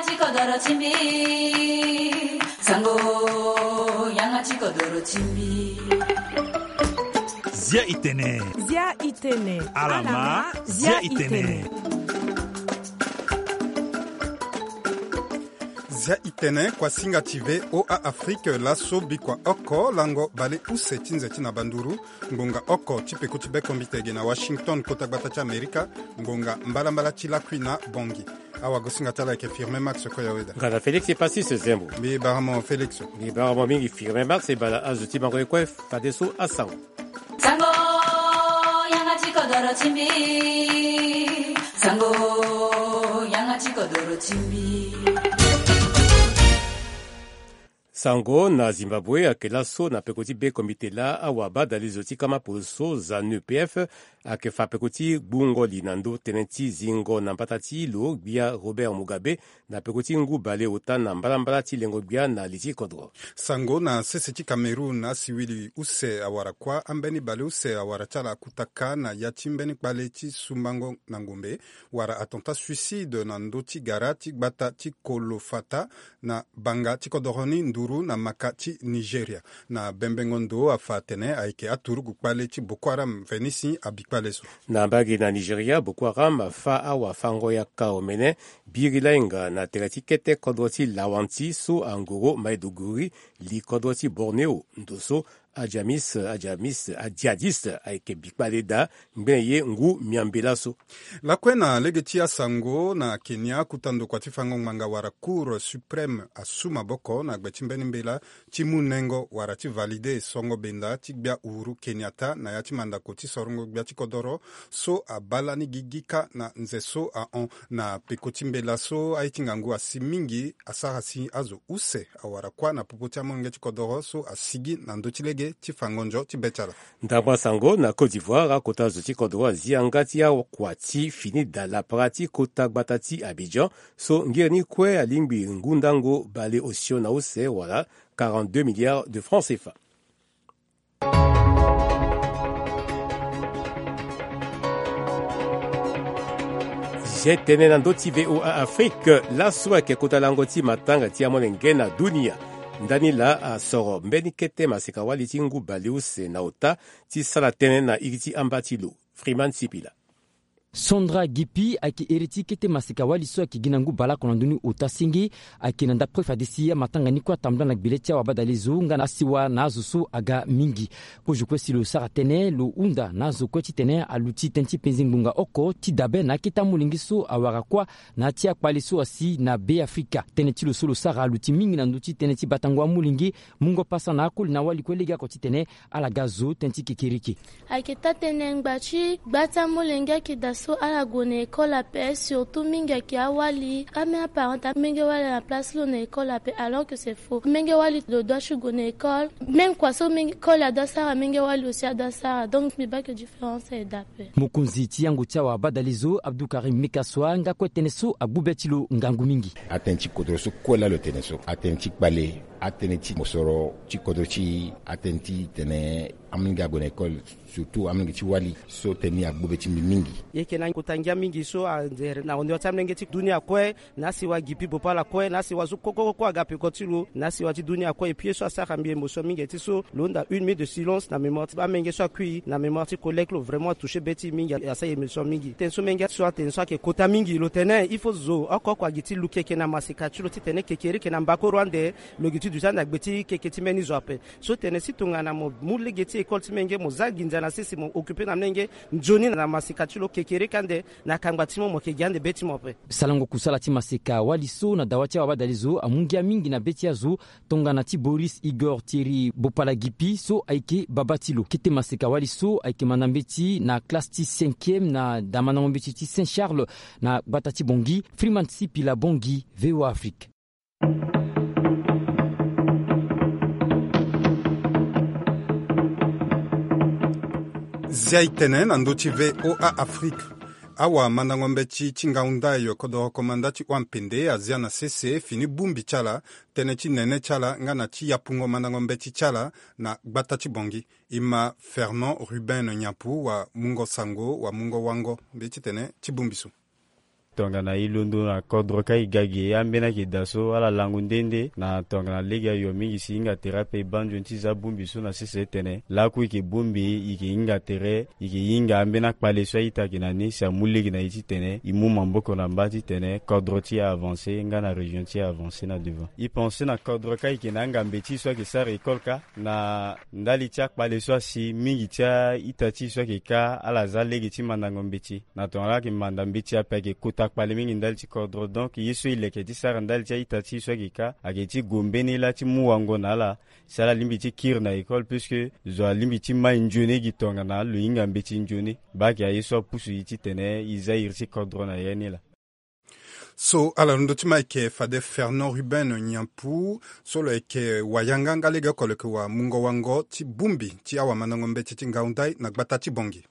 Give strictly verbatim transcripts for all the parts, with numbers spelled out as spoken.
Ti kodoro ti mbi. Sango, yanga ti kodoro ti mbi. Zia itene. Zia itene. Alama, zia itene. Zia itene, kuasinga ti V O A Afrique, laso bikua oko lango baleuse ti nze ti na banduru, ngonga oko ti peko ti bekombite ge na Washington, kota gbata ti Amerika, ngonga mbalambala ti lakui na Bongi. Awagosinga ti ala ayeke Firmin Max Koyaweda. Nga na Félix Epasis Zembo. Mbi bara mo Félix. Mbi bara mo mingi Firmin Max, e bala azo ti bango ye kue fadeso asango. Sango, yanga ti kodoro ti mbi. Sango, yanga ti kodoro ti mbi. Sango na Zimbabwe ayeke laso na peko ti bekombite laa awabadalizo ti kama poloso, ZANU P F, ayeke fa peko ti gbungo li na ndö tënë ti zingo na mbata ti lo gbia Robert Mugabe na peko ti ngu baleota na mbalambala ti lengo gbia na li ti kodro. Sango na sese ti Cameroun, asiwili use awara kuâ, ambeni baleuse awara ti ala akutaka na ya ti mbeni kpale ti sumbango na ngombe, wala attentat suicide na ndö ti gara ti gbata ti Kolofata, na banga ti kodoro ni nduru na maka ti Nigeria. Na bembengo ndo afa atene ayeke aturugu kpale ti Boko Haram mveni si abikpale so. Na mbage na Nigeria, Boko Haram afa awafango-yaka omene biri lainga na tere ti kete kodro ti Lawanti so angoro Maiduguri, li kodro ti Borneo. Ndo so ajamis, ajamis, ajihadiste ayeke bikpale daa ngbene ye ngu miambe laso. Lakue na lege ti asango na Kenya, kuta ndokua ti fango ngbanga wala Cour suprême asu maboko na gbe ti mbeni mbela ti mu nengo wala ti valide songo benda ti gbia Uhuru Kenyatta na ya ti mandako ti sorongo gbia ti kodoro so abaa lani gigi kâ na nze so ahon. Na peko ti mbela so, aye ti ngangu asi mingi asara si azo use awara kuâ na popo ti amolenge ti kodoro so asigi na ndö ti lege ti fango nzo ti be ti ala. Ndambo asango na Côte d'Ivoire, akota zo ti kodro azi yanga ti akua ti fini daa lapara ti kota gbata ti Abidjan so ngiri ni kue alingbi ngu ndango baleosio na use wala quarante-deux milliards de francs C F A. Zia tënë na ndö ti V O A Afrique, laso ayeke kota lango ti matanga ti amolenge na dunia. Ndani laa asoro mbeni kete maseka-wali ti ngu baleuse na ota ti sara tënë na iri ti amba ti lo. Freeman Sipila. Sandra Gipi ayeke iri ti kete maseka-wali so ayeke gi na ngu baleoko na ndö ni ota senge. Ayeke na ndapre fade si amatanga ni kue atambula na gbele ti awabadalezo nga na asiwa na azo so aga mingi. Kozo kue si lo sara tënë, lo hunda na azo kue titene aluti tënë ti penze ngbonga oko ti dabe na akete amolenge so awara kuâ na ya ti akpale so asi na Be Afrika. Tënë ti lo so lo sara aluti mingi na ndö ti tënë ti batango amolenge, mungo pasa na akoli na awali kue legeoko titene ala ga zo tënë ti kekereke. Ayeke taa-tënë ngbanga ti gba ti amolenge ayeke daa so ala gue na école ape, surtout mingi ayeke awali. Ambeni aparent ti amolenge wali na place ti lo na école ape, alors que c'est faux. Amolenge wali lo doit ti gue na école. Même kua so amolenge, école adoit sara, amolenge wali aussi adoit sara. Donc mbi baa que différence ayeke daa ape. Mokonzi ti yango ti awabadalezo, Abdou Karim Mekassoua, nga kue tënë so agbu be ti lo ngangu mingi. Atënë ti kodro so kue laa lo tene so, atënë ti kpale, atënë ti mosoro ti kodro ti e, atënë ti tene amolenge ague na école, surtout amolenge ti wali. So tënë ni agbu be ti mbi mingi. E yeke na kota ngia mingi so anzere na hondoro ti amolenge ti dunia kue, na asiwa Gipi Bopala kue, na asiwa so koko koko aga peko ti lo, na asiwa ti dunia kue. Et puis ye so asara mbi émotion mingi ti so lo hunda une minute de silence na mémoire ti amolenge so akui, na mémoire ti collègue lo, vraiment atouché be ti e mingi, asara émotion mingi. Tënë so menge so atene so ayeke kota mingi, lo tene il faut zo oko oko agi ti luki eke na maseka ti lo titene kekereke na mbakoro ande lo gi ti duti ande na gbe ti keke ti mbeni zo ape. So tene si tongana mo mu lege ti école ti menge, mo za nginza na sese, mo occupé na menge nzoni na maseka ti lo, kekereke ande na kangba ti mo, mo yeke gi ande be ti mo ape. Sarango kusala ti maseka-wali so na dawa ti awabadalezo amu ngia mingi na be ti azo, tongana ti Boris Igor Thierry Bopala Gipi so ayeke babâ ti lo. Kete maseka-wali so ayeke manda mbeti na classe ti cinquième na damandango mbeti ti Saint Charles na gbata ti Bangui. Freeman Sipila, Bangui, V O A Afrique. Zia itene na ndö ti V O A Afrique. Awamandango mbeti ti ngangu ndai kodoro komanda ti Oua-Pende azia na sese fini bongbi ti ala, tënë ti nene ti ala nga na ti yapungo mandango mbeti ti ala na gbata ti Bangui. E ma Fernand Ruben Niampou wamungo sango, wamungo wango mbeti tene ti bongbi so. Tongana e londo na kodro kâ e ga ge ambeni ayeke daa so ala lango nde nde na tongana lege ayo mingi si e hinga tere ape e baa nzoni ti za bongbi so na sese tene lakue e yeke bongbi e yeke hinga tere e yeke hinga ambeni akpale so a-ita ayeke na ni si amu lege na e titene e mu maboko na mba titene kodro ti e avanse nga na région ti e avanse na devant. E pense na kodro kâ e yeke na angambe ti e so ayeke sara école kâ na ndali ti akpale so asi mingi ti a-ita ti e so ayeke kâ ala za lege ti mandango mbeti. Na tongana ala yeke manda mbeti ape ayeke kota kpale mingi ndali ti kodro. Donc ye so e leke ti sara ndali ti a-ita ti e so ayeke kâ ayeke ti gue mbeni lâ ti mu wango na ala si ala lingbi ti kiri na école puisque zo alingbi ti mai nzoni gi tongana lo hinga mbeti nzoni. Baa ayeke aye so apusu e titene e za iri ti kodro na ya ni laa. So ala londo ti mai ayeke fade Fernand Ruben Nyampu so lo yeke wayanga nga lege oko lo yeke wamungo-wango ti bongbi ti awamandango mbeti ti ngau ndai na gbata ti Bangui.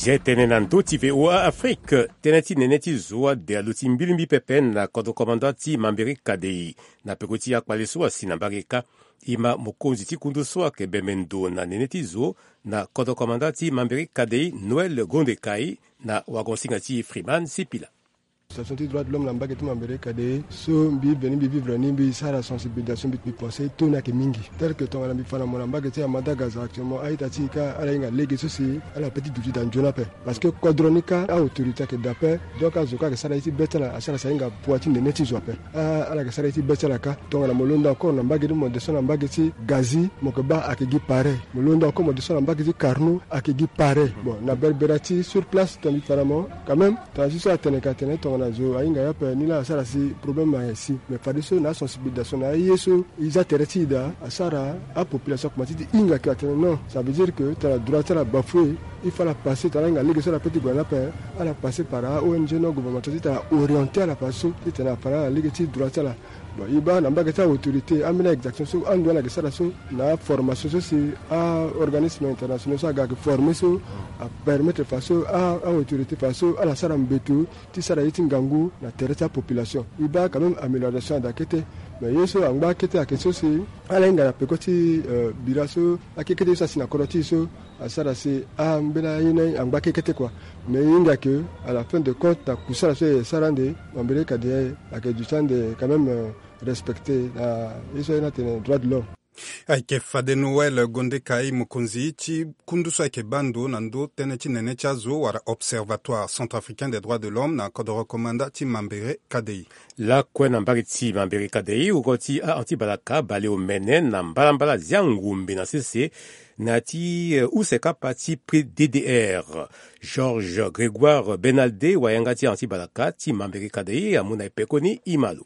Zia tënë na ndö ti V O A Afrique. Tënë ti nene ti zo ade aluti mbilimbili pepe na kodro komanda ti Mambere Kadei. Na peko ti akpale so asi na mbage kâ, e ma mokonzi ti kundu so ayeke bembe ndo na nene ti zo na kodro komanda ti Mambere Kadei, Noël Gondekai, na wagonsinga ti Freeman Sipila. Association ti droit de l'homme na mbage ti Mambere Kadei so mbi veni mbi vivre ni, mbi sara sensibilisation, mbi, mbi pense to ni ayeke mingi. Tel que tongana mbi fa na mo na mbage ti Amadagas actuellement, a-ita ti e kâ ala hinga lege so si ala peut ti duti daa nzoni ape. Parce que kodro ni kâ a-autorité ayeke daa ape. Donc azo kâ ayeke sara ye ti be ti ala, asara si ahinga poids ti nene ti zo ape. Ah, ala yeke sara ye ti be ti ala kâ. Tongana mo londo encore na mbage ti mo descend na mbage ti Gazi, mo yeke baa ayeke gi pareil. Mo londo encore mo descend na mbage ti Carnot, ayeke gi pareil. Bon, na Berbera ti sur place tongana mbi fa na mo, quand même, tongana ti so atene ka tene tongana zo ahinga ye ape ni laa asara si problème ayeke si. Mais fadeso na asensibilisation na aye so e za tere ti e daa, asara apopulation akomanse ti hinga ke atene non, ça veut dire que tongana droit ti ala bafoué, il faut ala passer, tongana ala hinga lege so ala peut ti gue na ni ape, ala passer par a-O N G non gouvernemental titene ala orienter ala fadeso titene ala fa na ala lege ti droit ti ala. Bon, e baa na mbage ti a-autorité ambeni a-exaction so ando ala yeke sara so na aformation so si a-organisme international so aga ayeke former so apermettre fadeso a-autorité fadeso ala sara mbeto ti sara ye ti ngangu na tere ti apopulation. E baa quand même amélioration ada kete. Mais ye so angba kete ayeke so si ala hinga na peko ti, euh, bira so akekete ye so asi na kodro ti e so asara si ambeni aye ni angba kekete kua. Mais e hinga ke à la fin de compte na kusala so e sara ande Mambere Kadei ayeke duti ande quand même, euh, respecté na ye so aye ni atene droit de l'homme. Ayeke fade Noël Gondekai, mokonzi ti kundu so ayeke baa ndo na ndö tënë ti nene ti azo wala Observatoire Centrafricain des Droits de l'Homme na kodoro komanda ti Mambere Kadei. Lakue na mbage ti Mambere Kadei, wungo ti a-anti-balaka bale omene na mbalambala zia ngombe na sese na ya ti, eh, use kapa ti prix D D R. Georges Grégoire Benalde, wayanga ti a-anti-balaka ti Mambere Kadei amu na e pekoni e ma lo.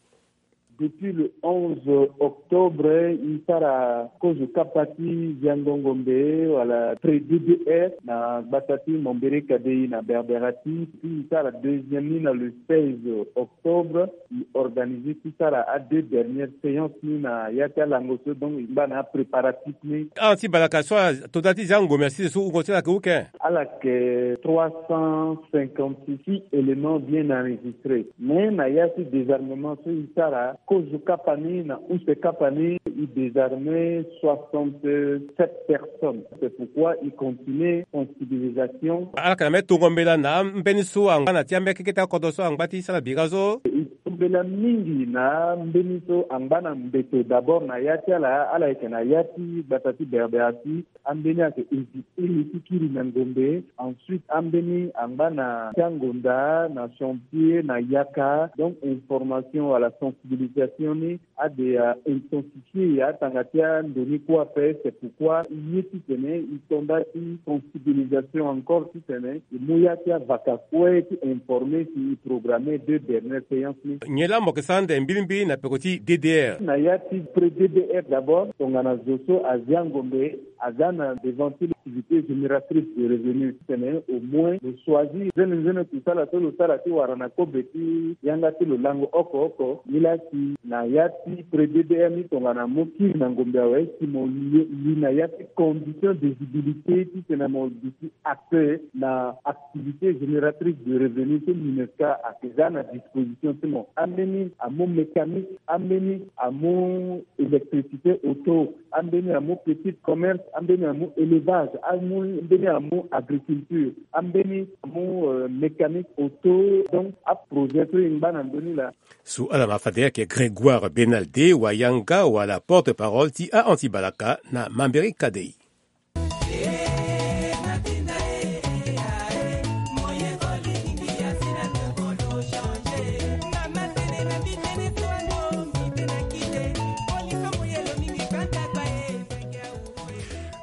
Depuis le onze octobre, e sara kozo kapa ti ziango ngombe wala prix D D R na gbata ti Mambere Kadei na Berbera ti, puis e sara deuxième ni na le seize octobre. E organiser ti sara a deux dernières séances ni na ya ti alango so, donc e ngba na apréparatif ni. A-anti-balaka so ato nda ti ziango ngombe na sese so wungo ti ala ayeke uke? Ala yeke trois cent cinquante-six éléments bien enregistrés. Mais na ya ti désarmement so e sara kozo kapa ni na use kapa ni, e désarmer soixante-sept personnes. C'est pourquoi e continue sensibilisation. Ala yeke na mbeni tongo mbela na ambeni so angba na ti ambeni akekete akodro so angba ti sara bira so? E tongo mbela mingi na ambeni so angba na mbeto. D'abord na ya ti ala, ala yeke na ya ti gbata ti Berbera ti, ambeni ayeke hésiter ti kiri na ngombe. Ensuite ambeni angba na ti angonda, na chantier, na yaka. Donc information wala sensibilisation ni ade a intensifier atanga ti ando ni kue ape. C'est pourquoi e ye titene e to nda ti sensibilisation encore titene e mu ya ti avaka kue ti informer si e programmer deux dernières séances ni. Nyen laa mo yeke sara ande mbilimbili na peko ti D D R? Na ya ti pré D D R d'abord, tongana zo so azia ngombe aza na devant ti activité génératrice de revenu, titene au moins lo choisir nzene nzene kusala so lo sara ti wara na kobe ti yanga ti lo lango oko oko. Nilaa si na ya ti pré D D R ni tongana mo kiri na ngombe awe, si mo li, li na ya ti condition d'éligibilité titene mo duti apte na activité génératrice de revenu so MINUSCA ayeke za na disposition ti mo. ambeni amu mécanique, ambeni amu électricité auto, ambeni amu petit commerce, ambeni amu élevage, ambeni amu agriculture, ambeni amu mécanique auto. Donc aprojet so e ngba na ndö ni laa. So ala ma fade ayeke Grégoire Benalde, wayanga wala porte-parole ti a anti balaka na mamberi kadei.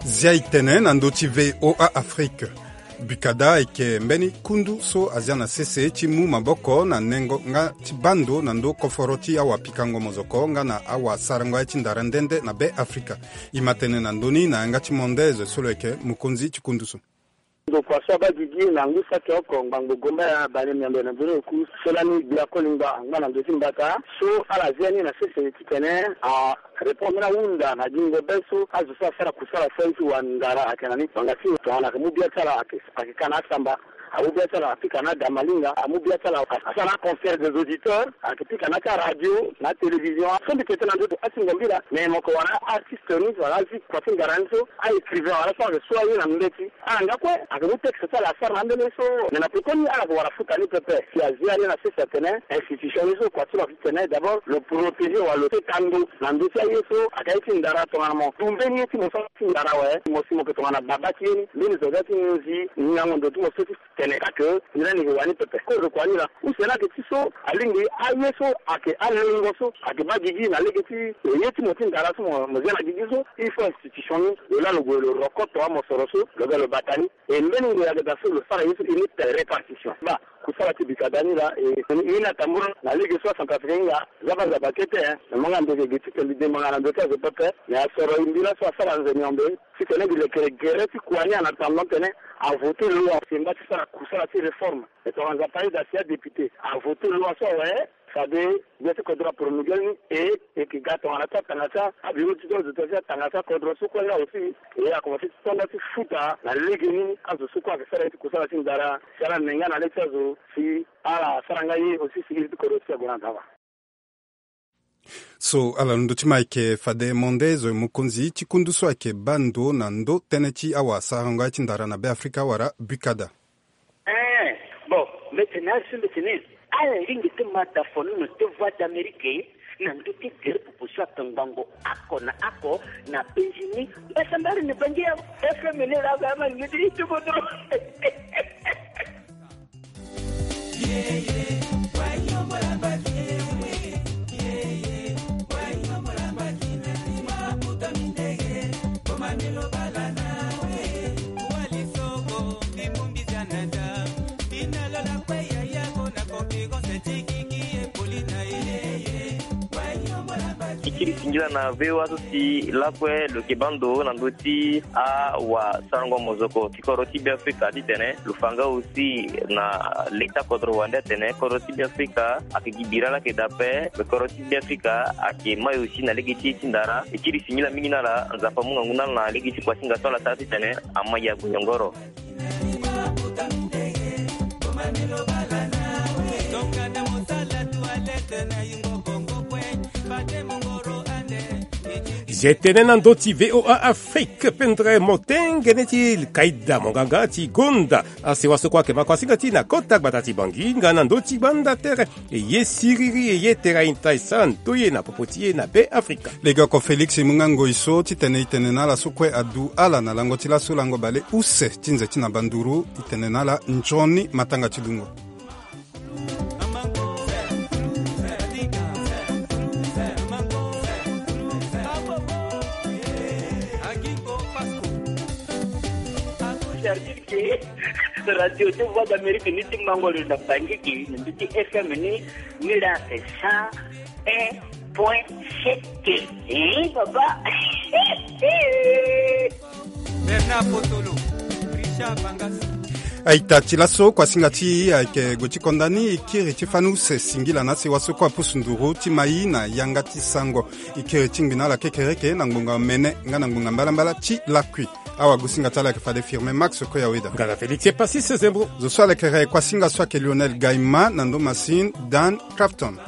Zia e tene na ndö ti V O A Afrique. Bikada ayeke mbeni kundu so azia na sese ti mu maboko na nengo nga ti baa ndo na ndö koforo ti awapikango mozoko nga na awasarango aye ti ndara nde nde na Be Afrika. E ma tene na ndö ni na yanga ti Mondaise so lo yeke mokonzi ti kundu so. Ndokua so abaa gigi na ngu saki oko ngbangbo gomba ya bale miambe na ndoni oku so lani gbia koli ngba angba na ndö ti mbata so ala zia ni na sese titene a répondre ahunda na gingo be so azo so asara kusala so aye ti wandara ayeke na ni. Ngbanga ti tongana ayeke mu bia ti ala ayeke ayeke ka na asamba, amu bia ti ala apika na adamalinga, amu bia ti ala asara na concert des auditeurs, ayeke pika na ti aradio na atélévision. So mbi tete na ndö ti asingo mbi laa me moko wara artiste ni wala azi kua ti ngara ni so, a écrivain wala so ayeke so aye na mbeti ala nga kue ayeke mu texte ti ala asara na ambeni so. Me na pekoni ala yeke wara futa ni pepe si azia ni na sese atene institution ni so kua ti lo ayeke tene d'abord lo protéger wala lo teka ndo na ndö ti aye so ayeke aye ti ndara tongana mo du mbeni ye ti mo so ti ndara awe mo si mo yeke tongana baba ti ye ni mbeni zo ga ti nginzi ngingango ndo ti mo so ti tene ka ke. Ni lani yeke wani pepe kozo kua ni laa use ni ayeke ti so alingbi aye so ayeke alengo so ayeke baa gigi na lege ti ye ti mo ti ndara so mo zia na gigi so il faut institution ni lo laa lo gue lo rokoto amosoro so lo ga lo bata ni. E mbeni ngoi ayeke daa so lo sara ye so e ni tene répartition baa kusala ti bikada ni laa e ni atambula na lege so acentrafricain hinga. Zaba zaba kete. Me manga mbi yeke gi titene mbi dembanga na ndo ti azo pepe. Me asoro e mbi laso asara nze miombe titene mbi lekere gere ti kua ni en attendant tene avote loi semba ti sara kusala ti réforme. E tongana nzapa aye daa si adéputé avote loi so awe fade gbia ti kodro apromulgué ni e e yeke ga tongana ti atanga ti abiro ti do azo ti atanga ti akodro so kue nga aussi. E akomanse ti tonda ti futa na legeni azo so kue ayeke sara ye ti kusala ti ndara si ala ne nga na le ti azo si ala sara nga ye aussi si iri ti kodro ti ague na daba. So ala londo ti ma ayeke fade monde zo mokonzi ti kundu so ayeke baa ndo na ndo tënë ti awasarango aye ti ndara na Be Afrika wala bukada. Eh, bon, mbi tene asi mbi tene ala lingbi ti ma da fonono ti Voix d'Amérique na ndö ti gere popo so ayeke ngbongo oko na oko na penzi ni. Mbasambari ni bangi ya F M ni la ga ma ni ti tuko dro. E kiri singila na V O A so si lakue lo yeke baa ndo na ndö ti awasarango mozoko ti kodro ti Be Afrika titene lo fa nga aussi na leta kodro wande atene kodro ti Be Afrika ayeke gi bira laa ayeke daa ape. Me kodro ti Be Afrika ayeke mai aussi na lege ti ye ti ndara. E kiri singila mingi na ala, Nzapa amu ngangu na ala na lege ti kuasinga so ala sara titene amai ague nyongoro. Zi e tene na ndö ti V O A Afrique, pendere motengene ti kaida monganga ti gonda asewa so kue ayeke ma kuasinga ti e na kota gbata ti Bangi nga na ndö ti gbanda tere. E ye siriri e ye tera inta e sara ndoye na popo ti e na Be Afrika. Legeoko Félix e mu nga ngoi so titene e tene na ala so kue adu ala na lango ti laso lango bale use ti nze ti na banduru. E tene na ala nzoni matanga ti dungo. Radio ti Voix d'Amérique ni ti mango lo na Bangi gi na ndö ti F M ni, ni la cent un point sept. Eh, papa. Bernard Potolo, Richard Bangas. Aita ti laso kuasinga ti e ayeke gue ti konda ni. E kiri ti fani use singila na asewa so kue apusu nduru ti mai na yanga ti sango. E kiri ti ngbi na ala kekereke na ngbonga mene nga na ngbonga mbalambala ti lakui. Awagosinga ti ala ayeke fade Firmin Max Koyaweda nga na Félix Epasis Zembro. Zo so alekere kuasinga so ayeke Lionel Gaima na ndo Masin Dan Crafton.